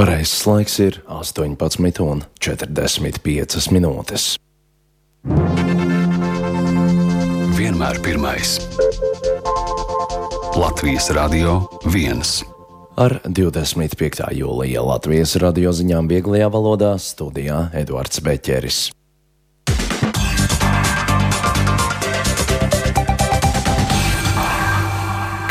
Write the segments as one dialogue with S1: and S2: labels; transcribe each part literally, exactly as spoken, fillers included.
S1: Pareizais laiks ir astoņpadsmit un četrdesmit piecas minūtes.
S2: Vienmēr pirmais. Latvijas Radio viens.
S1: Ar divdesmit piektā jūlija Latvijas radio ziņām vieglajā valodā studijā Eduards Beķeris.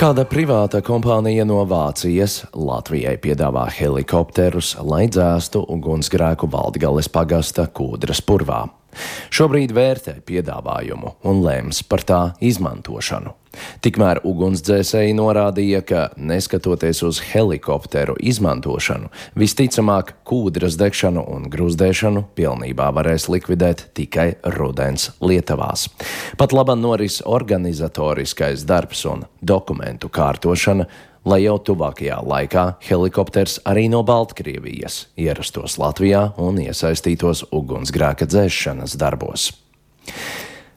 S1: Kāda privāta kompānija no Vācijas Latvijai piedāvā helikopterus, lai dzēstu ugunsgrēku Valdgales pagasta Kūdras purvā. Šobrīd vērtē piedāvājumu un lems par tā izmantošanu. Tikmēr ugunsdzēsēji norādīja, ka neskatoties uz helikopteru izmantošanu, visticamāk Kūdras degšanu un grūzdēšanu pilnībā varēs likvidēt tikai rudens lietavās. Pat labam noris organizatoriskais darbs un dokumentu kārtošana, lai jau tuvākajā laikā helikopters arī no Baltkrievijas ierastos Latvijā un iesaistītos ugunsgrēka dzēšanas darbos.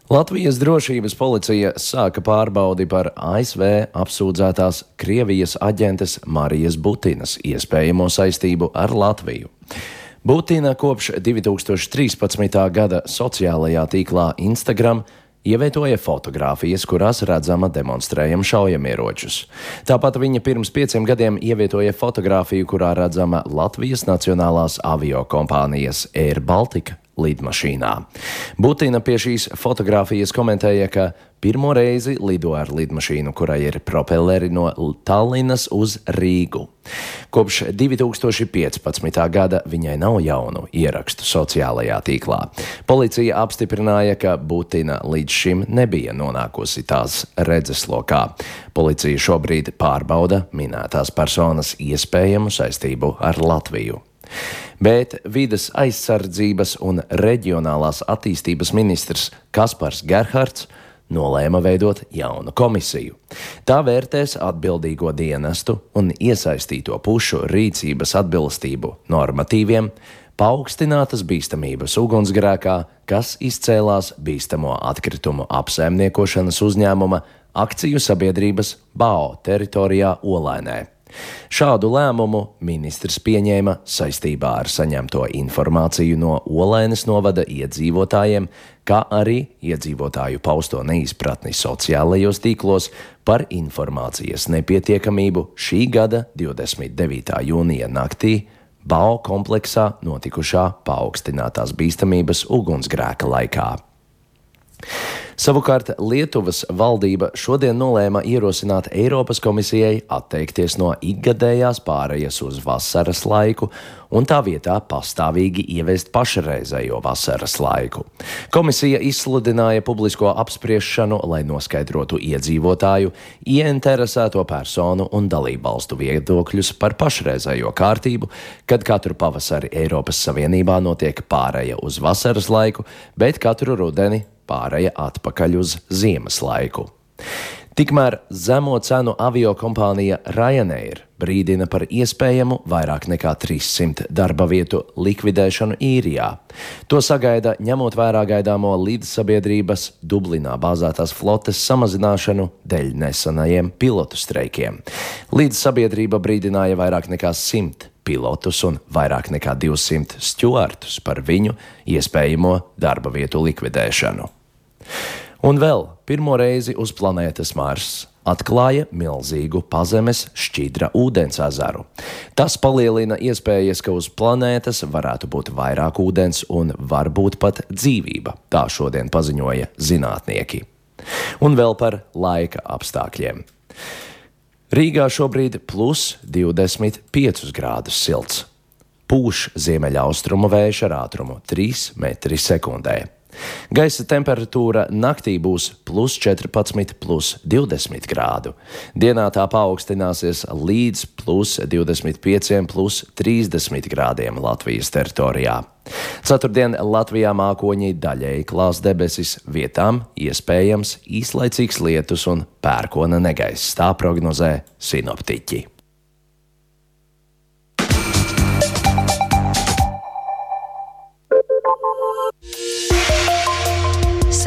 S1: Latvijas drošības policija sāka pārbaudi par A S V apsūdzētās Krievijas aģentes Marijas Butinas iespējamo saistību ar Latviju. Butina kopš divi tūkstoši trīspadsmitā gada sociālajā tīklā Instagram ievietoja fotogrāfijas, kurās redzama demonstrējama šaujamieročus. Tāpat viņa pirms pieciem gadiem ievietoja fotogrāfiju, kurā redzama Latvijas nacionālās aviokompānijas Air Baltica lidmašīnā. Butina pie šīs fotogrāfijas komentēja, ka pirmo reizi lido ar lidmašīnu, kurai ir propelleri no Tallinas uz Rīgu. Kopš divi tūkstoši piecpadsmitā gada viņai nav jaunu ierakstu sociālajā tīklā. Policija apstiprināja, ka Butina līdz šim nebija nonākusi tās redzeslokā. Policija šobrīd pārbauda minētās personas iespējamu saistību ar Latviju. Bet vides aizsardzības un reģionālās attīstības ministrs Kaspars Gerhards nolēma veidot jaunu komisiju. Tā vērtēs atbildīgo dienestu un iesaistīto pušu rīcības atbilstību normatīviem, paaugstinātas bīstamības ugunsgrēkā, kas izcēlās bīstamo atkritumu apsaimniekošanas uzņēmuma akciju sabiedrības B A O teritorijā Olainē. Šādu lēmumu ministrs pieņēma saistībā ar saņemto informāciju no Olainas novada iedzīvotājiem, kā arī iedzīvotāju pausto neizpratni sociālajos tīklos par informācijas nepietiekamību šī gada divdesmit devītā jūnija naktī B A O kompleksā notikušā paaugstinātās bīstamības ugunsgrēka laikā. Savukārt Lietuvas valdība šodien nolēma ierosināt Eiropas komisijai atteikties no ikgadējās pārejas uz vasaras laiku un tā vietā pastāvīgi ieviest pašreizējo vasaras laiku. Komisija izsludināja publisko apspriešanu, lai noskaidrotu iedzīvotāju, ieinteresēto personu un dalībvalstu viedokļus par pašreizējo kārtību, kad katru pavasari Eiropas Savienībā notiek pāreja uz vasaras laiku, bet katru rudeni pāreja atpakaļ uz ziemas laiku. Tikmēr zemo cenu aviokompānija Ryanair brīdina par iespējamu vairāk nekā trīssimt darba vietu likvidēšanu īrijā. To sagaida ņemot vērā gaidāmo līdzsabiedrības Dublinā bāzētās flotes samazināšanu dēļ nesenajiem pilotu streikiem. Līdzsabiedrība brīdināja vairāk nekā simt pilotus un vairāk nekā divsimt stjuartus par viņu iespējamo darba vietu likvidēšanu. Un vēl pirmo reizi uz planētas Mars atklāja milzīgu pazemes šķidra ūdens ezeru. Tas palielina iespējas, ka uz planētas varētu būt vairāk ūdens un varbūt pat dzīvība, tā šodien paziņoja zinātnieki. Un vēl par laika apstākļiem. Rīgā šobrīd plus divdesmit piecus grādus silts. Pūš ziemeļaustrumu vējš ar ātrumu trīs metri sekundē. Gaisa temperatūra naktī būs plus četrpadsmit, plus divdesmit grādu. Dienā tā paaugstināsies līdz plus divdesmit pieciem, plus trīsdesmit grādiem Latvijas teritorijā. Ceturtdien Latvijā mākoņi daļēji klās debesis, vietām iespējams īslaicīgs lietus un pērkona negaiss, tā prognozē sinoptiķi.